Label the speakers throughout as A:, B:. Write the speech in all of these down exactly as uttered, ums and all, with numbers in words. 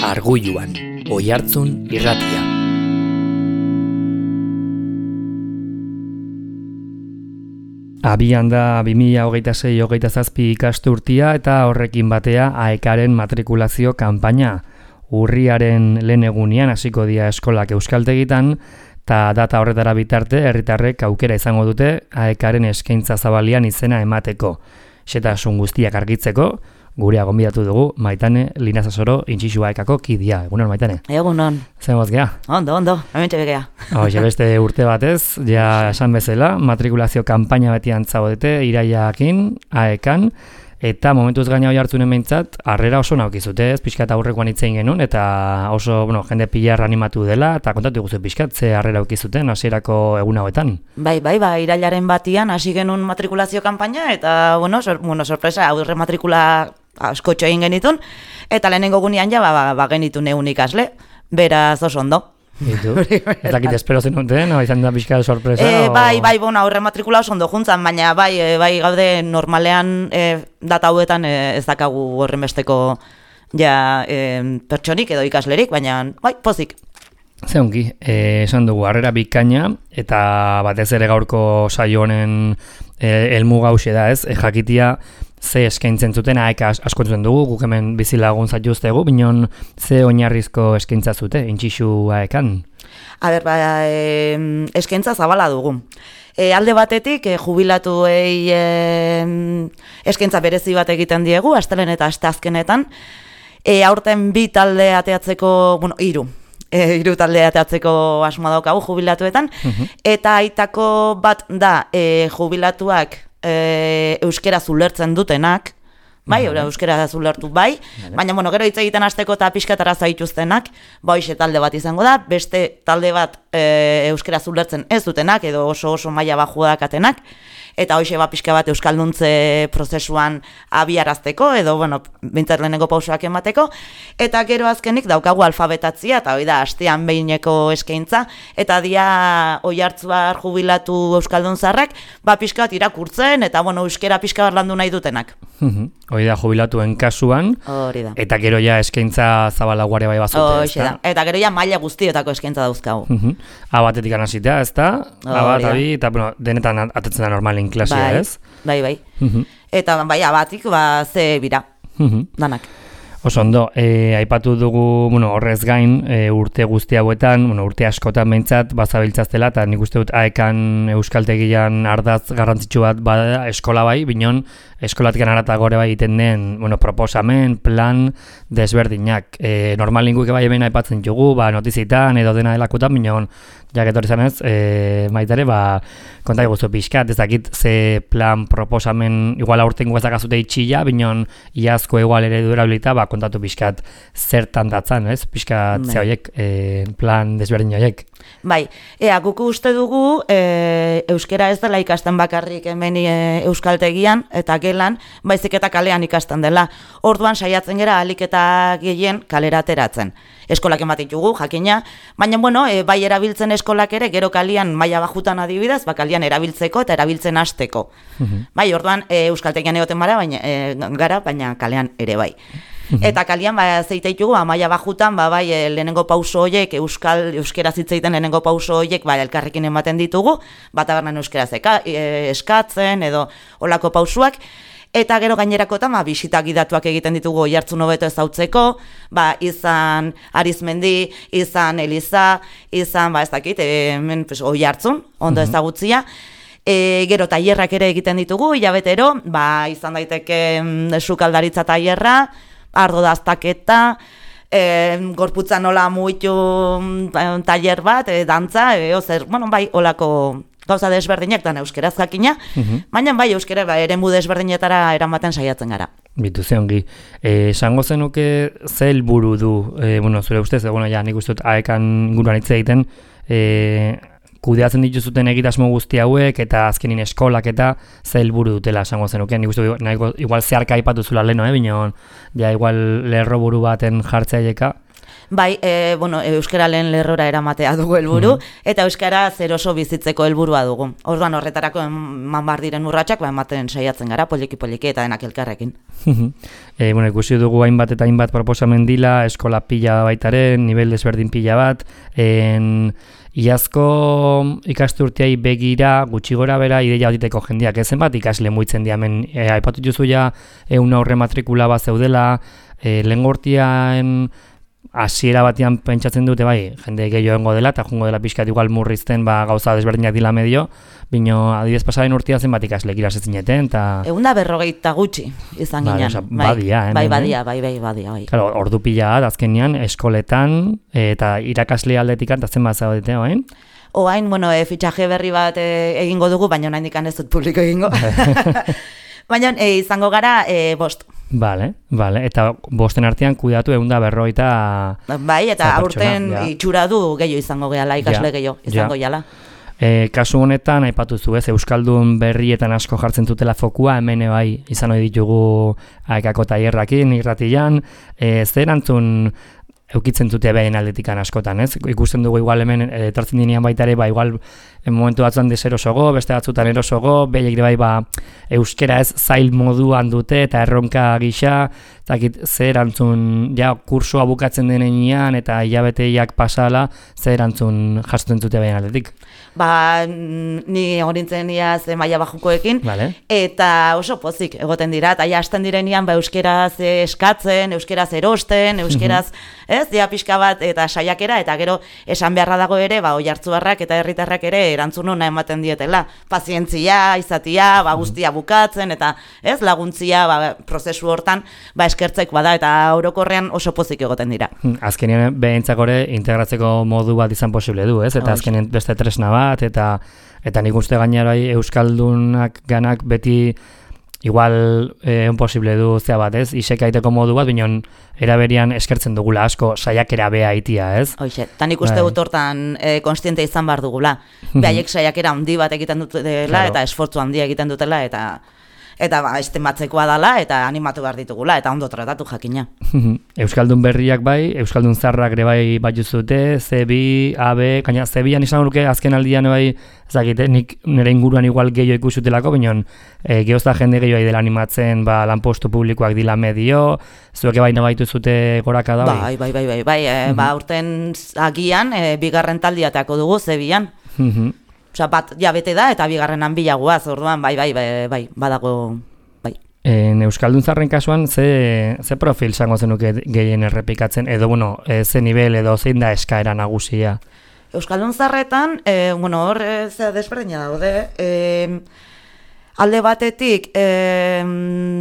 A: Argulluan, Oihartzun irratia. Abian da bi mila hogeita sei hogeita zazpi ikasturtia eta horrekin batea AEKaren matrikulazio kanpaina. Urriaren lehen egunean hasiko dira eskolak euskaltegitan, eta data horretara bitarte herritarrek aukera izango dute AEKaren eskaintza zabalian izena emateko. Xetasun guztiak argitzeko, gurea gonbidatu dugu Maitane Linazasoro Intxixu AEKako kidea. Egunon, Maitane?
B: Egunon.
A: Zer goz gea?
B: Ondo, ondo, hemen txebekea.
A: Hoxe beste urte batez, ja esan bezala, matrikulazio kanpaina beti antzagodete iraiakin, AEKan, eta momentuz gaina Oihartzunen behintzat, harrera oso naukizute, ez pixkat aurrekoan hitzein genuen, eta oso, bueno, jende pilar animatu dela, eta kontatu guzu pixkat, ze harrera aukizuten hasierako egun hauetan.
B: Bai, bai, bai, irailaren batian hasi genuen matrikulazio kanpaina, eta, bueno, sor, bueno sorpresa, aurre matrikula askotxo egin genitun, eta lehenengo gunean ja, ba, ba, ba genitun egun ikasle, beraz oso ondo.
A: Ditu, ez dakit espero zenuten, no? Izan da pixka sorpresa?
B: E,
A: o...
B: Bai, bai, bueno, aurre matrikula oso ondo juntzan, baina bai, e, bai gaude normalean e, data hauetan e, ez dakagu horren besteko ja, e, pertsonik edo ikaslerik, baina bai, pozik.
A: Ze ongi, eh, esan dugu, harrera bikaina, eta batez ere gaurko saio honen eh, helmuga hauxe da, ez? E, jakitia ze eskaintzen zuten, AEK asko entzuten dugu, guk hemen bizilagun zaituztegu, binon ze oinarrizko eskaintza zute, Intxixu AEKan?
B: A ber, ba, e, eskaintza zabala dugu. E, alde batetik, e, jubilatuei e, eskaintza berezi bat egiten diegu, astelen eta asteazkenetan, e, aurten bi talde ateatzeko, bueno, hiru. E, hiru talde ateatzeko asmoa daukagu jubilatuetan, uh-huh. Eta aitako bat da e, jubilatuak e, euskera zulertzen dutenak, bai, uh-huh. Euskera zulertu bai, uh-huh. Baina bueno, gero hitz egiten hasteko eta pixkatara zaituztenak, ba hoxe talde bat izango da, beste talde bat e, euskera zulertzen ez dutenak, edo oso oso maila bajua dakatenak, eta hoxe ba pixka bat euskalduntze prozesuan abiarazteko, edo, bueno, bintzat lehenengo pausoak emateko, eta gero azkenik daukagu alfabetatzia, eta hori da, astean behineko eskaintza, eta dia Oihartzuar jubilatu euskaldun zarrak, ba pixka bat irakurtzen, eta, bueno, euskera pixka bat landu nahi dutenak.
A: Hori da, jubilatuen kasuan, hori da. Eta gero ja eskaintza zabalaguare bai bazute,
B: ez da? Eta gero ja maila guztiotako eskaintza dauzkagu.
A: A batetik anasitea, ez da? A bat, abi, eta, bueno, denetan atetzen da normalin klasia,
B: bai,
A: ez?
B: Bai, bai. Uh-huh. Eta bai, abatik, ba, ze bira, uh-huh. Danak.
A: Oso ondo, e, aipatu dugu, bueno, horrez gain, e, urte guzti hauetan, bueno, urte askotan behintzat, bazabiltzaztela, eta nik uste dut AEKan euskaltegian ardaz garrantzitsu bat bada eskola bai, binon, eskolatik anarata gore bai egiten den, bueno, proposamen, plan, desberdinak. E, normal linguik bai hemen aipatzen dugu, ba, notizitan edo dena delakutan, binon, jaketor izan ez, e, maitare, ba, kontak guztu pixkat, ez dakit ze plan, proposamen, igual aurten guazak azute itxilla, binon, iazko igual ere durabilita, ba, kontatu pixkat zertan datzan, ez? Pixkat ze horiek, e, plan desberdin horiek.
B: Bai, ea, guku uste dugu, e, euskera ez dela ikasten bakarrik hemen e, euskaltegian, eta gelan, baizik eta kalean ikasten dela. Orduan saiatzen gera alik eta gehien kalera ateratzen. Eskolak ematitugu, jakina, baina, bueno, e, bai erabiltzen eskolak ere, gero kalian maila bajutan adibidez, ba, kalian erabiltzeko eta erabiltzen hasteko. Uh-huh. Bai, orduan, e, euskaltegian egoten bara, baina, e, gara, baina kalean ere bai. Uh-huh. Eta kalian, ba, zeiteitugu, ba, maila bajutan, ba, bai, e, lehenengo pauso horiek, euskal, euskera zitzeiten lehenengo pauso horiek, ba, elkarrekin ematen ditugu, bat abernan euskera zeka, e, eskatzen, edo olako pausuak, eta gero gainerakotan, ba, bisita gidatuak egiten ditugu Oihartzun hobeto ezautzeko, ba, izan Arizmendi, izan Eliza, izan, ba, ez dakit, hemen pues, Oihartzun, ondo uh-huh. ezagutzia, e, gero tailerrak ere egiten ditugu, hilabetero, ba, izan daiteke sukaldaritza tailerra, ardo daztaketa, e, gorputza nola muitu tailer bat, e, dantza, e, ozer, bueno, bai, olako gauza desberdinak dan euskeraz jakina, uh-huh. Baina bai euskera ba, eremu desberdinetara eramaten saiatzen gara.
A: Bitu ze ongi. Eh, esango zenuke ze helburu du, eh, bueno, zure ustez, bueno, ja, nik uste dut AEKan inguruan hitz egiten, eh, kudeatzen dituzuten egitasmo guzti hauek, eta azkenin eskolak eta ze helburu dutela esango zenuke. Nik uste dut, igual zeharka aipatu zula leno, eh, bineon, ja, igual lerro buru baten jartzea aieka.
B: Bai, e, bueno, euskara lehen lerrora eramatea dugu helburu, mm. eta euskara zer oso bizitzeko helburua dugu. Orduan horretarako eman bar diren urratsak, ba, ematen saiatzen gara, poliki-poliki eta denak elkarrekin.
A: e, bueno, ikusi dugu hainbat eta hainbat proposamen dila, eskola pila baitaren, nivel desberdin pila bat, en... Iazko ikasturteai begira gutxi gora bera ideia diteko jendeak ezen bat ikasle muitzen diamen e, aipatu duzu ja egun aurre matrikula bat zeudela e, lehen gortian hasiera batean pentsatzen dute bai jende gehiago egongo dela eta jungo dela pixkat igual murrizten ba, gauza desberdinak dila medio bino adibidez pasaren urtea zen bat ikasle irasezineten eta
B: egun da berrogeita gutxi izan
A: vale,
B: ginen
A: oza, badia,
B: bai, bai badia bai bai badia bai
A: claro ordu pila bat azkenean eskoletan eta irakasle aldetikan zen bat zaudete orain
B: orain bueno e, fitxaje berri bat e, egingo dugu baina oraindik ez dut publiko egingo baina e, izango gara e, bost.
A: Vale, vale. Eta bosten artean kuidatu egun da berroita...
B: Bai, eta aurten ja. Itxura du gehiago izango gehala, ikasle ja. Gehiago izango ja. Jala.
A: E, kasu honetan, aipatu zu, ez, Euskaldun berrietan asko jartzen dutela fokua, hemen bai izan hori ditugu aekako taierrakin, irratian, e, zer erantzun eukitzen dute behin aldetikan askotan, ez? Ikusten dugu igual hemen etortzen dinean baita ere, ba, igual momentu batzuan deserosogo, beste batzutan erosogo, behiek bai, ba, euskera ez zail moduan dute eta erronka gisa, eta zer erantzun, ja, kursoa bukatzen denean eta hilabeteiak pasala, zer erantzun jasotzen dute behin aldetik?
B: Ba, ni horintzen iaz maila bajukoekin,
A: vale.
B: Eta oso pozik egoten dira, eta ja hasten direnean ba, euskeraz eskatzen, euskeraz erosten, euskeraz, ez, dia pixka bat eta saiakera, eta gero esan beharra dago ere, ba, oihartzuarrak eta herritarrak ere erantzun ona ematen dietela. Pazientzia, izatia, ba, guztia bukatzen, eta ez, laguntzia, ba, prozesu hortan, ba, eskertzek bada, eta orokorrean oso pozik egoten dira.
A: Azkenean behintzak ore integratzeko modu bat izan posible du, ez? Eta azkenean beste tresna bat, eta eta nik uste gainera euskaldunak ganak beti igual eh, posible du zea bat, ez? Isekaiteko modu bat, binon eraberian eskertzen dugula asko saiakera bea itia, ez?
B: Hoxe, eta nik uste dut hortan eh, konstiente izan behar dugula. Behaiek saiakera handi bat egiten dutela, claro. Eta esfortzu handia egiten dutela, eta eta ba, estimatzekoa dela, eta animatu behar ditugula, eta ondo tratatu jakina.
A: Euskaldun berriak bai, Euskaldun zarrak ere bai bat juzute, C bi, A B, kaina C bian izan luke azken aldian bai, ezagite, nik nire inguruan igual gehiago ikusutelako, binon, e, geozta jende gehiago dela animatzen, ba, lanpostu publikoak dila medio, zueke baina baitu zute goraka da
B: bai? Bai, bai, bai, bai, e, ba, urten agian, e, bigarren taldiateako dugu C bian. Osa, bat jabete da, eta bigarrenan bilagoaz, orduan, bai, bai, bai, bai, badago, bai.
A: En Euskaldun zarren kasuan, ze, ze profil zango zenuke gehien errepikatzen, edo, bueno, e, ze nivel edo zein da eskaera nagusia?
B: Euskaldun zarretan, e, bueno, hor, e, ze desberdina daude, e, alde batetik e,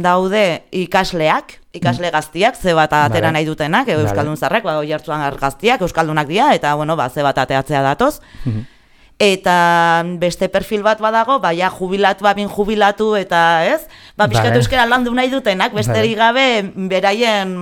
B: daude ikasleak, ikasle gaztiak, ze bat atera nahi dutenak, e, Euskaldun zarrek, ba, oihartzuan gaztiak, Euskaldunak dira, eta, bueno, ba, ze bat ateatzea datoz. Eta beste perfil bat badago, baina jubilatu, babin jubilatu, eta ez, ba, pixkatu euskera landu nahi dutenak, besterik gabe, beraien,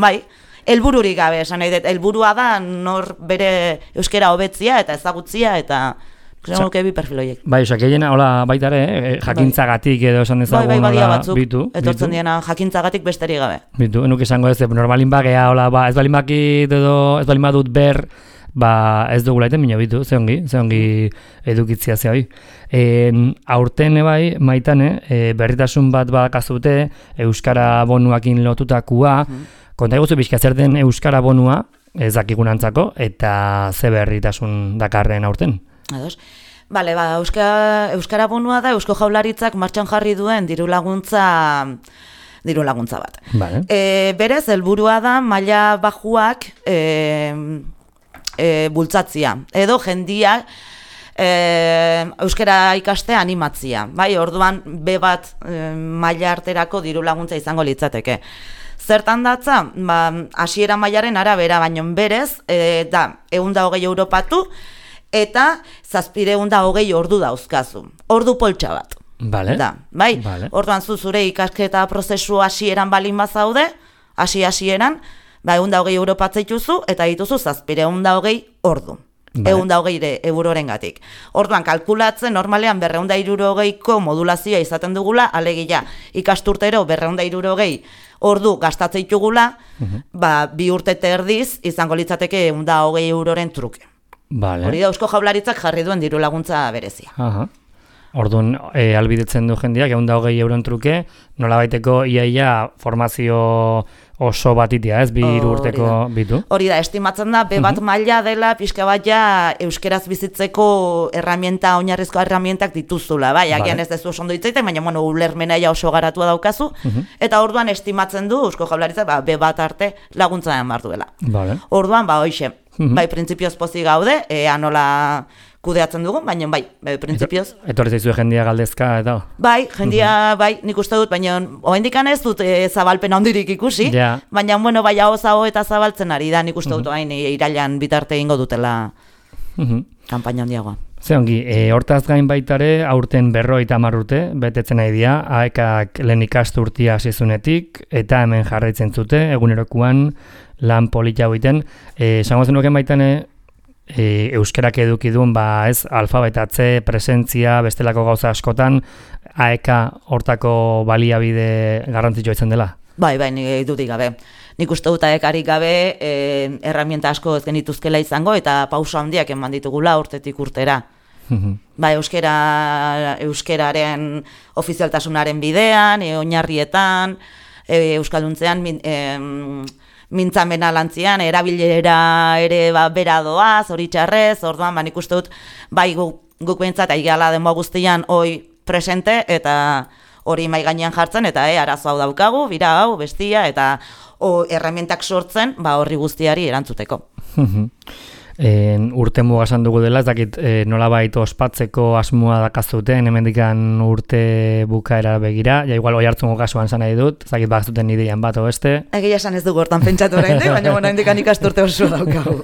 B: bai, helbururik gabe, esan nahi dut, helburua da, nor bere euskera hobetzia eta ezagutzia, eta zenuke bi perfil horiek.
A: Bai, osak egin, hola, baita ere, jakintzagatik edo esan ezagun,
B: bai, bai, badia batzuk,
A: bitu,
B: etortzen diena jakintzagatik besterik gabe.
A: Bitu, enuk izango ez, normalin bagea, hola, ba, ez balin bakit edo, ez balin badut ber, ba ez dugula eten bina bitu, ze ongi, ze ongi edukitzia ze hoi. E, aurten bai, maitane, e, berritasun bat bakazute, Euskara bonuakin lotutakua, mm. konta eguzu bizka zer den Euskara bonua, ez dakigunantzako, eta ze berritasun dakarren aurten.
B: Ados. Bale, ba, Euskara, Euskara bonua da, Eusko Jaurlaritzak martxan jarri duen diru laguntza diru laguntza bat.
A: Vale.
B: E, berez, helburua da, maila bajuak, e, E, bultzatzia, edo jendia e, euskara ikastea animatzia, bai, orduan be bat e, maila arterako diru laguntza izango litzateke. Zertan datza, ba, hasiera mailaren arabera, baino berez, e, da, ehun da hogei europatu, eta zazpireun da hogei ordu dauzkazu, ordu poltsa bat.
A: Vale.
B: Da, bai,
A: vale.
B: Orduan zu zure ikasketa prozesu hasieran balin bazaude, hasi hasieran, ba, egun da hogei euro patzeituzu, eta dituzu zazpire egun da hogei ordu. ehun eta hogei eurorengatik. Orduan, kalkulatzen, normalean berrehun eta hirurogeiko modulazioa izaten dugula, alegia ikasturtero berrehun eta hirurogei ordu gastatzen ditugula, uh-huh. ba, bi urte terdiz izango litzateke ehun eta hogei euroren truke.
A: Vale.
B: Hori da Eusko Jaurlaritzak jarri duen diru laguntza berezia.
A: Aha. Orduan, e, albidetzen du jendeak, ehun eta hogei euron truke, nola baiteko iaia formazio oso batitia, ez, bi hiru urteko bitu?
B: Hori da, estimatzen da, be bat uh-huh. maila dela, pixka bat ja, euskeraz bizitzeko herramienta, oinarrizko herramientak dituzula, bai, agian vale. Ez dezu oso ondo ditzaiten, baina, bueno, ulermena ja oso garatua daukazu, uh-huh. eta orduan estimatzen du, Eusko Jaurlaritza, ba, be bat arte laguntza den bar duela. Vale. Orduan, ba, hoixe, uh-huh. bai, printzipioz pozik gaude, ea nola kudeatzen dugu, baina bai, bai printzipioz.
A: Etorri zaizu jendia galdezka, eta?
B: Bai, jendia, uh-huh. bai, nik uste dut, baina oraindik ez dut e, zabalpen handirik ikusi, yeah. baina, bueno, bai, hau zago eta zabaltzen ari da, nik uste dut, uh-huh. hain irailan bitarte egingo dutela uh-huh. kanpaina handiagoa.
A: Ze ongi, e, hortaz gain baitare, aurten berrogeita hamar urte, betetzen nahi dira, aekak lehen ikasturtia hasizunetik, eta hemen jarraitzen zute, egunerokuan lan polita egiten. E, esango zenuken baitane, E, euskerak eduki duen, ba, ez, alfabetatze, presentzia, bestelako gauza askotan, aeka hortako baliabide garrantzitsua izan dela? Bai, bai, nik dudik gabe. Nik uste dut aekarik gabe e, erramienta asko ez genituzkela izango, eta pauso handiak eman ditugula urtetik urtera. Ba, euskera, euskeraren ofizialtasunaren bidean, e, oinarrietan, e, euskalduntzean, e, mintzamena lantzian, erabilera ere ba, bera doaz, hori txarrez, orduan, ba, nik uste dut, bai guk, guk behintzat, aigala denboa guztian, hoi presente, eta hori mai gainean jartzen, eta e, arazo hau daukagu, bira hau, bestia, eta o, erramientak sortzen, ba, horri guztiari erantzuteko. En, urte mugasan dugu dela, ez dakit e, nolabait ospatzeko asmoa dakazuten, hemendikan urte bukaera begira, ja igual oi hartzungo kasuan zan nahi dut, ez dakit bakzuten ideian bat o beste. Egia esan ez dugu hortan pentsatu oraindik, baina bueno, hendikan ikasturte oso daukagu.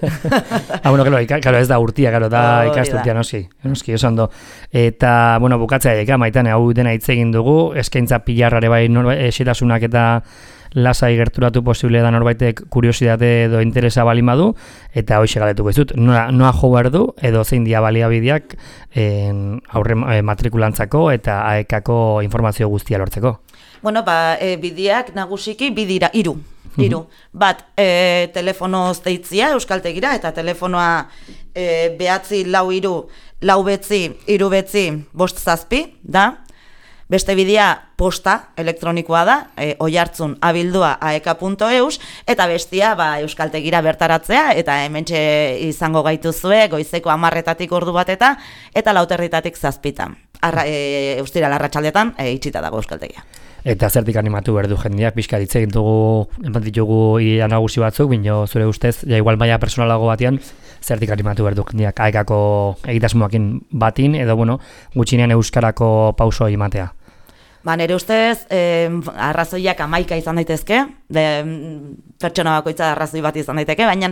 A: ah, bueno, claro, ika, claro, ez da urtia, claro, da oh, ikasturtia, noski, noski, oso ondo. Eta, bueno, bukatzea eka, maitan, hau dena hitz egin dugu, eskaintza pilarrare bai esitasunak eta lasai gerturatu posible da norbaitek kuriosidade edo interesa balin badu, eta hoxe galetuko izut, noa, noa jo behar du, edo zein dia baliabideak aurre e, matrikulantzako eta aekako informazio guztia lortzeko. Bueno, ba, e, bideak nagusiki bidira, iru. Iru. Bat, e, telefonoz deitzia euskaltegira, eta telefonoa e, behatzi lau iru, lau betzi, iru betzi, bost zazpi, da? Beste bidea posta elektronikoa da, e, oihartzun abildua aeka punto eus, eta bestia ba, euskaltegira bertaratzea, eta hementxe izango gaituzue, goizeko hamarretatik ordu bateta, eta lauterritatik zazpitan. Arra, e, eustira larratxaldetan, e, itxita dago euskaltegia. Eta zertik animatu behar du jendeak, pixka ditze gintugu, enpat ditugu ia nagusi batzuk, bino zure ustez, ja igual maila personalago batean, zertik animatu behar du jendeak aekako egitasmoakin batin, edo bueno, gutxinean euskarako pauso imatea. Ba, nire ustez, eh, arrazoiak amaika izan daitezke, de, pertsona bakoitza arrazoi bat izan daiteke, baina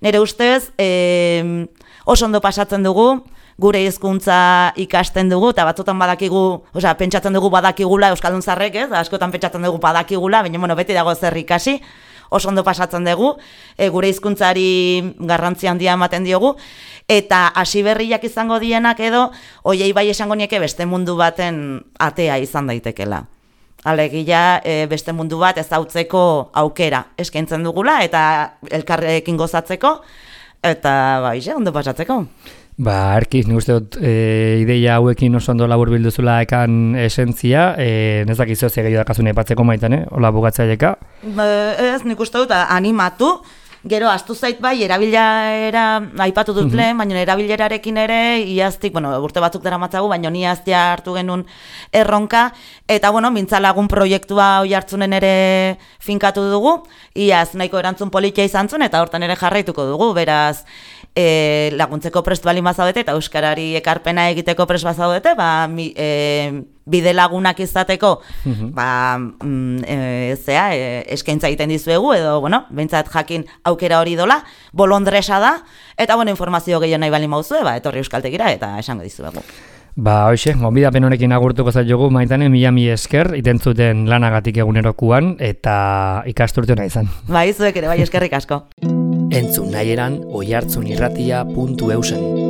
A: nire ustez eh, oso ondo pasatzen dugu, gure hizkuntza ikasten dugu, eta batzutan badakigu, osea, pentsatzen dugu badakigula euskaldun zarrek, ez? Askotan pentsatzen dugu badakigula, baina bueno, beti dago zer ikasi, oso ondo pasatzen dugu, e, gure hizkuntzari garrantzi handia ematen diogu, eta hasi berriak izango dienak edo, hoiei bai esango nieke beste mundu baten atea izan daitekela. Alegia e, beste mundu bat ezautzeko aukera eskaintzen dugula, eta elkarrekin gozatzeko, eta bai, ondo pasatzeko. Ba, Erki, nik uste dut e, ideia hauekin oso ondo labur bilduzula ekan esentzia, e, ez dakizu ze gehiago dakazun aipatzeko maitan, eh? Ola bugatzaileka? Ez, nik uste dut animatu, gero astu zait bai, erabilera aipatu dut lehen, baina erabilerarekin ere, iaztik, bueno, urte batzuk dara matzagu, baina ni iaztia hartu genuen erronka, eta, bueno, mintzalagun proiektua hoi hartzunen ere finkatu dugu, iaz nahiko erantzun politia izan zuen, eta hortan ere jarraituko dugu, beraz, E, laguntzeko prest bali mazaudete eta euskarari ekarpena egiteko prest bazaudete, ba, mi, e, bide lagunak izateko ba, mm, e, zea, e, eskaintza egiten dizuegu, edo, bueno, behintzat jakin aukera hori dola, bolondresa da, eta, bueno, informazio gehiago nahi bali mauzue, ba, etorri euskaltegira eta esango dizuegu. Ba, hoxe, gonbidapen honekin agurtuko zaitugu, maitane, mila mi esker, itentzuten lanagatik egunerokuan, eta ikasturte hona izan. Ba, izuek ere, bai, eskerrik asko. Entzun nahieran oihartzunirratia puntu eusen.